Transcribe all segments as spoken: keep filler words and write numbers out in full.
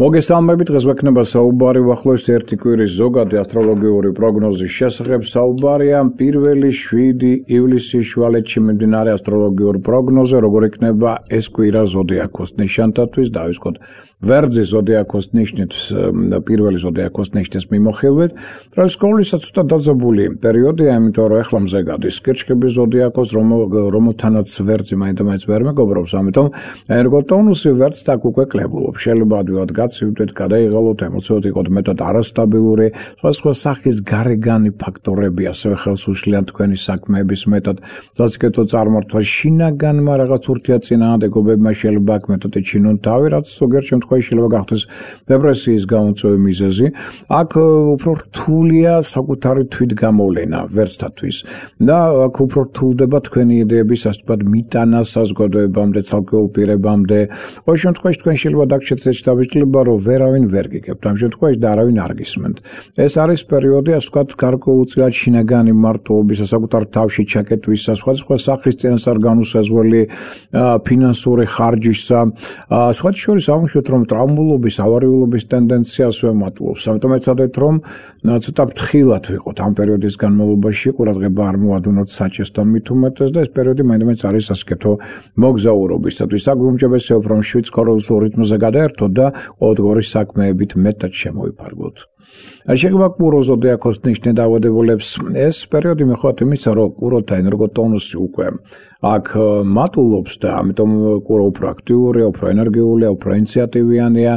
მოგესალმებით, დღეს ვექნება საუბარი უახლოეს ერთი კვირის ზოგადი ასტროლოგიური პროგნოზის შესახებ. საუბარია პირველი შვიდი ივლისის შუალედში მიმდინარე ასტროლოგიურ პროგნოზე, როგორ იქნება ეს კვირა ზოდიაქოს ნიშანთათვის. დავისხოთ ვერძის ზოდიაქოს ნიშნით, პირველი ზოდიაქოს ნიშნის მიმოხილვით. პროსკოლისაც ცოტა დაძაბული პერიოდია, იმიტომ რომ ეხლა მზე გადის კირჩხიბის ზოდიაქოს, რომელთანაც ვერძი მაინდა-მაინც ვერ მეგობრობს, ამიტომ ენერგოტონუსი ვერძს აქ უკვე კლებულობს. შეიძლება ადვილად გაცივდეთ, გადაიღალოთ, ემოციურად იყოთ მეტად არასტაბილური, სხვადასხვა სახის გარეგანი ფაქტორები ასევე ხელს უშლიან თქვენი საქმეების მეტად საციკეთო წარმართვას, შინაგანმა რაღაც ურთიერთწინააღმდეგობებმა შეიძლება აქ მეტად ეჩინონ თავი, რაც ზოგიერთ შემთხვევაში შეიძლება გახდეს დეპრესიის გამოწვევი მიზეზი. აქ უფრო რთულია საკუთარი თვითგამოვლენა ვერძთათვის და აქ უფრო რთულდება თქვენი იდეების ასე ვთქვათ მიტანა საზოგადოებამდე, ცალკეულ პირებამდე. ყოველ შემთხვევაში თქვენ შეიძლება დაგჭირთ ეს შთაბეჭდილება, რომ ვერავინ ვერ გიგებთ ამ შემთხვევაში და არავინ არ გისმენთ. ეს არის პერიოდი, ასე ვთქვათ, გარკვეულწილად შინაგანი მარტოობისა, საკუთარ თავში ჩაკეტვისა, სხვადასხვა სახის წინასწარ განუსაზღვრელი ფინანსური ხარჯისა, სხვა შორის ამშვით, რომ ტრავმულობის, ავარიულობის ტენდენციას ვემატულობს. ამიტომ ეცადეთ, რომ ცოტა ფრთხილად ვიყოთ ამ პერიოდის განმავლობაში, ყურადღება არ მოვადუნოთ საჭესთან მით უმეტეს და ეს პერიოდი მაინდა-მაინც არის ასკეთო მოგზაურობისათვის. აქ უმჯობესია, რომ შვიდ სკოროლსულ რიტმზე გადაერთოთ და ყოველდღიური საქმეებით მეტად შემოვიფარგლოთ. შეიძლება კურო ზოდიაქოს ნიშნით დაავადებულებს ეს პერიოდი მიხვდათ იმისა, რომ კუროთა ენერგოტონუსი უკვე აქ მატულობს და ამიტომ კურო უფრო აქტიურია, უფრო ენერგიულია, უფრო ინიციატივიანია,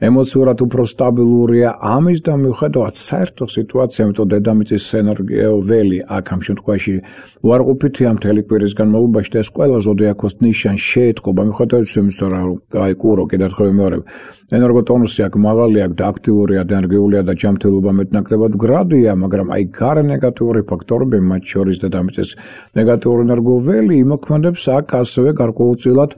ემოციურად უფრო სტაბილურია. ამის და მიუხედავად საერთო სიტუაცია, ამიტომ დედამიწის ენერგია ველი აქ ამ შემთხვევაში უარყოფითია მთელი კვირის განმავლობაში და ეს ყველა ზოდიაქოს ნიშანი შეეთყობა მიუხედავად იმისა, რომ აი კურო კიდევ ერთხელ ვიმეორებ, ენერგოტონუსი აქ მაღალია და აქტიურია და ენერგიულია და ჯანმრთელობა მეტნაკლებად მგრადია, მაგრამ აი გარე ნეგატიური ფაქტორები, მათ შორის დედამიწის ნეგატიური ენერგოველი იმოქმედებს აქ ასევე გარკვეულწილად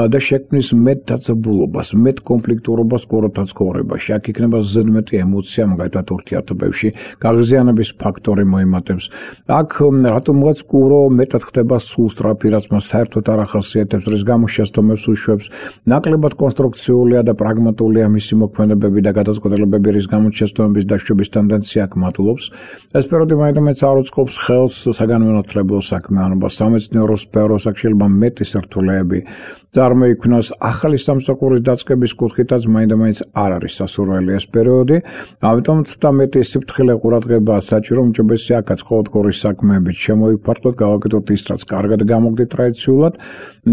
და შექმნის მეტ დაძაბულობას, მეტ კონფლიქტურობას კუროთა ცხოვრებაში. აქ იქნება ზედმეტი ემოცია, მაგალითად ურთიერთობებში, გაღიზიანების ფაქტორი მოიმატებს. აქ რატომღაც კურო მეტად ხდება სულსწრაფი, რაც მას საერთოდ არ ახასიათებს, რის გამოც შესთომებს უშვებს, ნაკლებად კონსტრუქციულია და პრაგმატულია მისი მოქმედებები და გადაწყვეტილებები, რის გამოც შესთომების დაშვების ტენდენცია აქ მატულობს. ეს პერიოდი მაინდა-მაინც არ უწყობს ხელს საგანმანათლებლო საქმიანობას, სამეცნიერო სფეროს, აქ შეიძლება მეტი სირთულეები წარმოიქმნას. ახალი სამსახურის დაწყების კუთხითაც მაინდა-მაინც არ არის სასურველი ეს პერიოდი, ამიტომ ცოტა მეტი სიფრთხილე ყურადღებაა საჭირო, უმჯობესია აქაც ყოველდღიური საქმეებით შემოვიფარგლოთ, გავაკეთოთ ის, რაც კარგად გამოგდით ტრადიციულად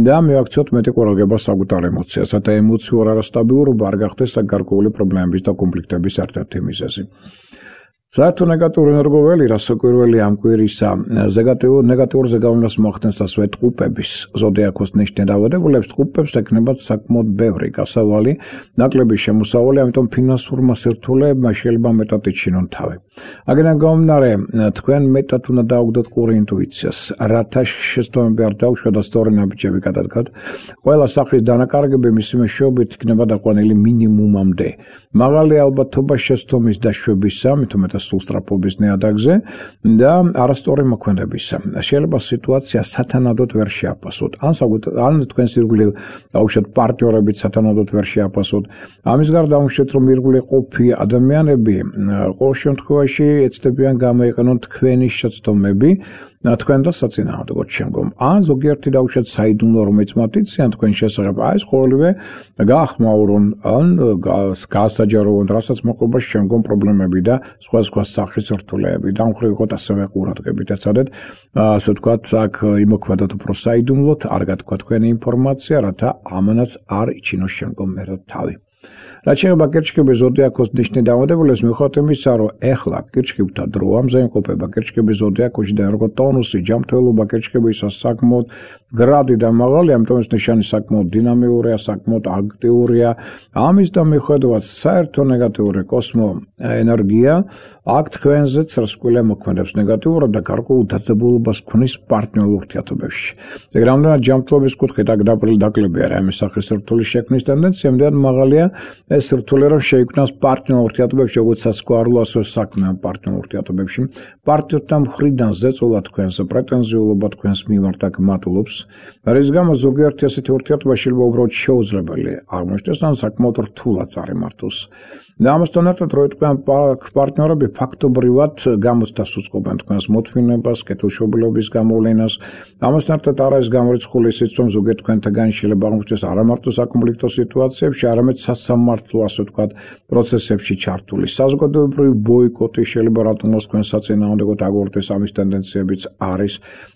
და მივაქციოთ მეტი ყურადღება საკუთარ ემოციასა და ემოციურ არასტაბილურობა არ გახდეს გარკვეული პრობლემების და კონფლიქტების ერთ-ერთი მიზეზი. საერთო ნეგატიური ენერგოველი, რაც კვირველი ამ კვირისა ნეგატიურ ზეგავლენას მოახდენს ასევე ტყუპების ზოდიაქოს ნიშნით დაავადებულებს, ტყუპებს ექნებათ საკმაოდ ბევრი გასავალი, ნაკლები შემოსავალი, ამიტომ ფინანსურმა სირთულეებმა შეიძლება მეტად იჩინონ თავი. აგრეთვე გამომდინარე, თქვენ მეტად უნდა დაუგდოთ ყური ინტუიციას, რათა შესთომები არ დაუშვათ და სწორი ნაბიჯები გადადგათ. ყველა სახის დანაკარგები მისი მეშვეობით იქნება დაყვანილი მინიმუმამდე. მაღალი ალბათობა შესთომის დაშვებისა, მით უმეტეს სულსწრაფობის ნიადაგზე და არასწორი მოქმედებისა. შეიძლება სიტუაცია სათანადოდ ვერ შეაფასოთ, ან ან თქვენს ირგვლივ დაუშვათ პარტნიორებით სათანადოდ ვერ შეაფასოთ. ამის გარდა დაუშვათ, რომ ირგვლივ ყოფი ადამიანები ყოველ შემთხვევაში ეცდებიან გამოიყენონ თქვენი შეცდომები თქვენ და საწინააღმდეგოდ შემდგომ. ან ზოგიერთი დაუშვათ საიდუმლო რომელიც მათიციან თქვენ შესახებ, აი ეს ყოველივე გაახმაურონ, ან გაასაჯაროონ, რასაც მოყვება შემდგომ პრობლემები და სხვა სხვა სახის რთულეები. დამხრივ იყოთ ასევე ყურადღებით, ეცადეთ, ასე ვთქვათ, აქ იმოქმედოთ უფრო საიდუმლოდ, არ გათქვა თქვენი ინფორმაცია, რათა ამანაც არ იჩინოს შემდგომ მერად თავი. რაც შეეხება კირჩხიბის ზოდიაქოს ნიშნით დაავადებულებს, მიუხედავად იმისა, რომ ეხლა კირჩხიბთა დროა, მზე იმყოფება კირჩხიბის ზოდიაქოში და ენერგოტონუსი, ჯანმრთელობა კირჩხიბისას საკმაოდ გრადი და მაღალი, ამიტომ ეს ნიშანი საკმაოდ დინამიურია, საკმაოდ აქტიურია. ამის და მიუხედავად საერთო ნეგატიური კოსმო ენერგია აქ თქვენზეც რასკვლელი მოქმედებს ნეგატიურად და გარკვეულ დაძაბულობას ქმნის პარტნიორულ ურთიერთობებში. ეგ რამდენად ჯანმრთელობის კუთხით აქ დაპრილი დაკლები არა, ამის სახის სირთულის შექმნის ტენდენცია მდეად მაღალია ეს რთული რომ შეიქმნას პარტნიორ ურთიერთობებში, როგორც სასქესო ასევე საქმიან პარტნიორ ურთიერთობებში. პარტნიორთა მხრიდან ზეწოლა თქვენს პრეტენზიულობა თქვენს მიმართ აქ მატულობს. რის გამოც ზოგიერთი ასეთი ურთიერთობა შეიძლება უბრალოდ შეუძლებელი აღმოჩნდეს ან საკმაოდ რთულად წარიმართოს. და ამასთან ერთად რო თქვენ პარტნიორები ფაქტობრივად გამოცდას უწყობენ თქვენს მოთმინებას, კეთილშობილობის გამოვლენას. ამასთან ერთად არ არის გამორიცხული ისიც, რომ ზოგიერთ თქვენთაგანი შეიძლება აღმოჩნდეს არა მარტო საკონფლიქტო სიტუაციებში, არამედ სასამართლო, ასე ვთქვათ, პროცესებში ჩართული. საზოგადოებრივი ბოიკოტი შეიძლება რატომოს თქვენს საწინააღმდეგოდ აგორდეს, ამის ტენდენციებიც არის.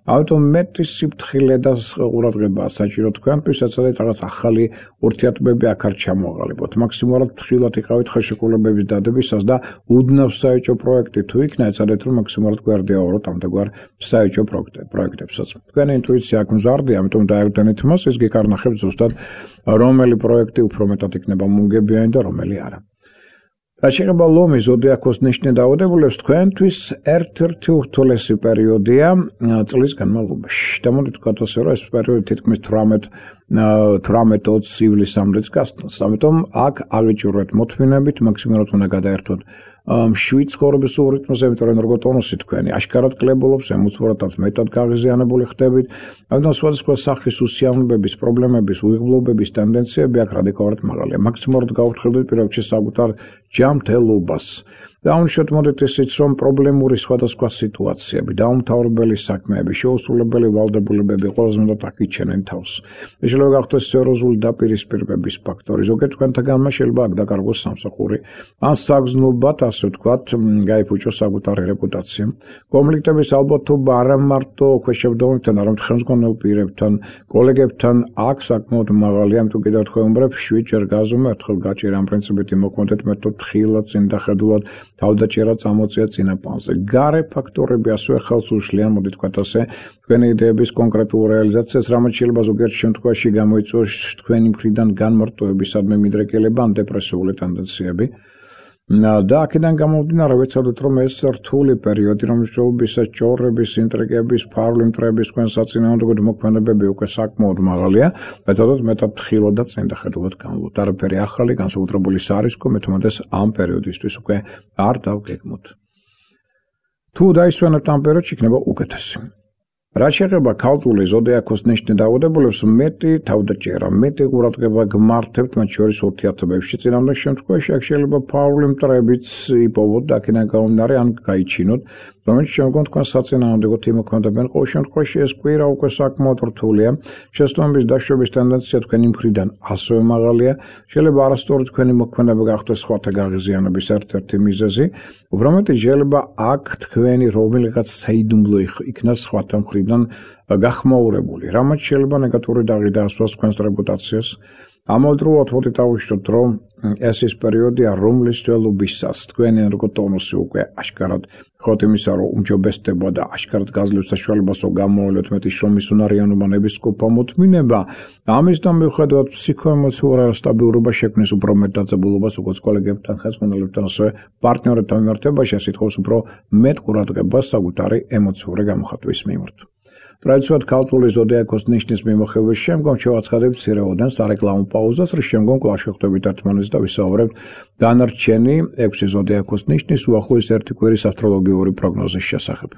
ამიტომ მეტი სიფრთხილე და ყურადღებაა საჭირო თქვენთვის, საცადეთ რაღაც ახალი ურთიერთობები აქ არ ჩამოაყალიბოთ. მაქსიმალურად ფრთხილად იყავით ხელშეკრულებების დადებისას და უდნავ საეჭვო პროექტი თუ იქნა, ეცადეთ რომ მაქსიმალურად გვერდიაუროთ ამდაგვარ საეჭვო პროექტებსაც. თქვენი ინტუიცია აქ მზარდია, ამიტომ დაევდენით მას, ის გეკარნახებს ზუსტად რომელი პროექტი უფრო მეტად იქნება მუნგებიანი და რომელი არა. რაც შეეხება ლომის ზოდიაქოს ნიშნით დაავადებულებს, თქვენთვის ერთ-ერთი ურთულესი პერიოდია წლის განმავლობაში. და მოდით ვთქვათ ასე, რომ ეს პერიოდი თითქმის თვრამეტ ოცი ივლისამდეც გასტანს. ამიტომ აქ აღიჭირვეთ მოთმინებით, მაქსიმალურად უნდა გადაერთოთ მშვიდ ცხოვრების რიტმზე, იმიტომ რომ როგორც ტონუსი თქვენი აშკარად კლებულობს, ემოციურადაც მეტად გაღიზიანებული ხდებით. ამიტომ სხვადასხვა სახის უსიამოვნებების, პრობლემების, უიღბლობების ტენდენციები აქ რადიკალურად მაღალია. მაქსიმალურად გაუფრთხილდეთ პირველ რიგში საკუთარ ჯანმრთელობას. დაუნიშნოთ მოდით ისიც, რომ პრობლემური სხვადასხვა სიტუაციები, დაუმთავრებელი საქმეები, შეუსრულებელი ვალდებულებები ყველაზე მეტად აქიჩენენ თავს. შეიძლება გახდეს სერიოზული დაპირისპირების ფაქტორი. ზოგიერთ თქვენთაგანმა შეიძლება აქ დაკარგოს სამსახური, ან საგრძნობად, ასე ვთქვათ, გაიფუჭოს საკუთარი რეპუტაცია. კონფლიქტების ალბათობა არა მარტო ქვეშევრდომებთან, არამედ ხელმძღვანელ პირებთან, კოლეგებთან აქ საკმაოდ მაღალია, ამიტომ კიდევ თქვენ უმბრებ შვიდჯერ გაზომე, ერთხელ გაჭირა ამ პრინციპით იმოქმედეთ, მეტად ხილად, წინდახედულად თავდაჭერა წამოწია წინაპანზე. გარე ფაქტორები ასევე ხელს უშლიან, მოდით ვთქვათ ასე, თქვენი იდეების კონკრეტულ რეალიზაციას, რამაც შეიძლება ზოგიერთ შემთხვევაში გამოიწვიოს თქვენი მხრიდან განმარტოებისადმი მიდრეკილება ან დეპრესიული ტენდენციები. და აქედან გამომდინარე ვეცადოთ, რომ ეს რთული პერიოდი, რომელშიც ჭორების, ინტრიგების, ფარული მტრების, თქვენ საწინააღმდეგო მოქმედებები უკვე საკმაოდ მაღალია, ვეცადოთ მეტად ხილად და წინდახედულად განვლოთ. არაფერი ახალი, განსაკუთრებული სარისკო მეთმოდეს ამ პერიოდისთვის უკვე არ დავგეგმოთ. თუ დაისვენებთ ამ პერიოდში, იქნება უკეთესი. რაც შეეხება ქალწული ზოდიაქოს ნიშნით დაავადებულებს, მეტი თავდაჭერა, მეტი ყურადღება გმართებთ მათ შორის ურთიერთობებში. წინამორბედ შემთხვევაში აქ შეიძლება ფაული მტრებიც იპოვოთ და აქედან გამომდინარე ან გაიჩინოთ, რომელიც შემდგომ თქვენ საწინააღმდეგოდ იმოქმედებენ. ყოველ შემთხვევაში ეს კვირა უკვე საკმაოდ რთულია. შეცდომების დაშვების ტენდენცია თქვენი მხრიდან ასევე მაღალია. შეიძლება არასწორი თქვენი მოქმედება გახდეს სხვათა გაღიზიანების ერთ-ერთი მიზეზი. უფრო მეტი შეიძლება აქ თქვენი რომელიღაც საიდუმლო იქნას სხვათა მხრიდან გახმაურებული, რამაც შეიძლება ნეგატიური დაღი დაასვას თქვენს რეპუტაციას. ამავდროულად მოდით ავუშვოთ, რომ ეს ის პერიოდია, რომლის ძველობისას თქვენი ენერგოტონუსი უკვე აშკარად ხოთ იმისა, რომ უმჯობესდება და აშკარად გაძლევს საშუალებას, რომ გამოავლოთ მეტი შრომის უნარიანობა, ნებისყოფა მოთმინება. ამისთან მიუხედავად ფსიქოემოციურ სტაბილურობა შექმნის უფრო მეტ დაძაბულობას, როგორც კოლეგებთან, ხელმძღვანელებთან, ასევე პარტნიორებთან მიმართებაში, ეს ითხოვს უფრო მეტ ყურადღებას საკუთარი ემოციური გამოხატვის მიმართ. ტრადიციულად ქალწული ზოდიაქოს ნიშნის მიმოხილვის შემდგომ შევაცხადებთ მცირეოდენ სარეკლამო პაუზას, რის შემდგომ კვლავ შევხვდებით ერთმანეთს და ვისაუბრებთ დანარჩენი ექვსი ზოდიაქოს ნიშნის უახლოესი ერთი კვირის ასტროლოგიური პროგნოზის შესახებ.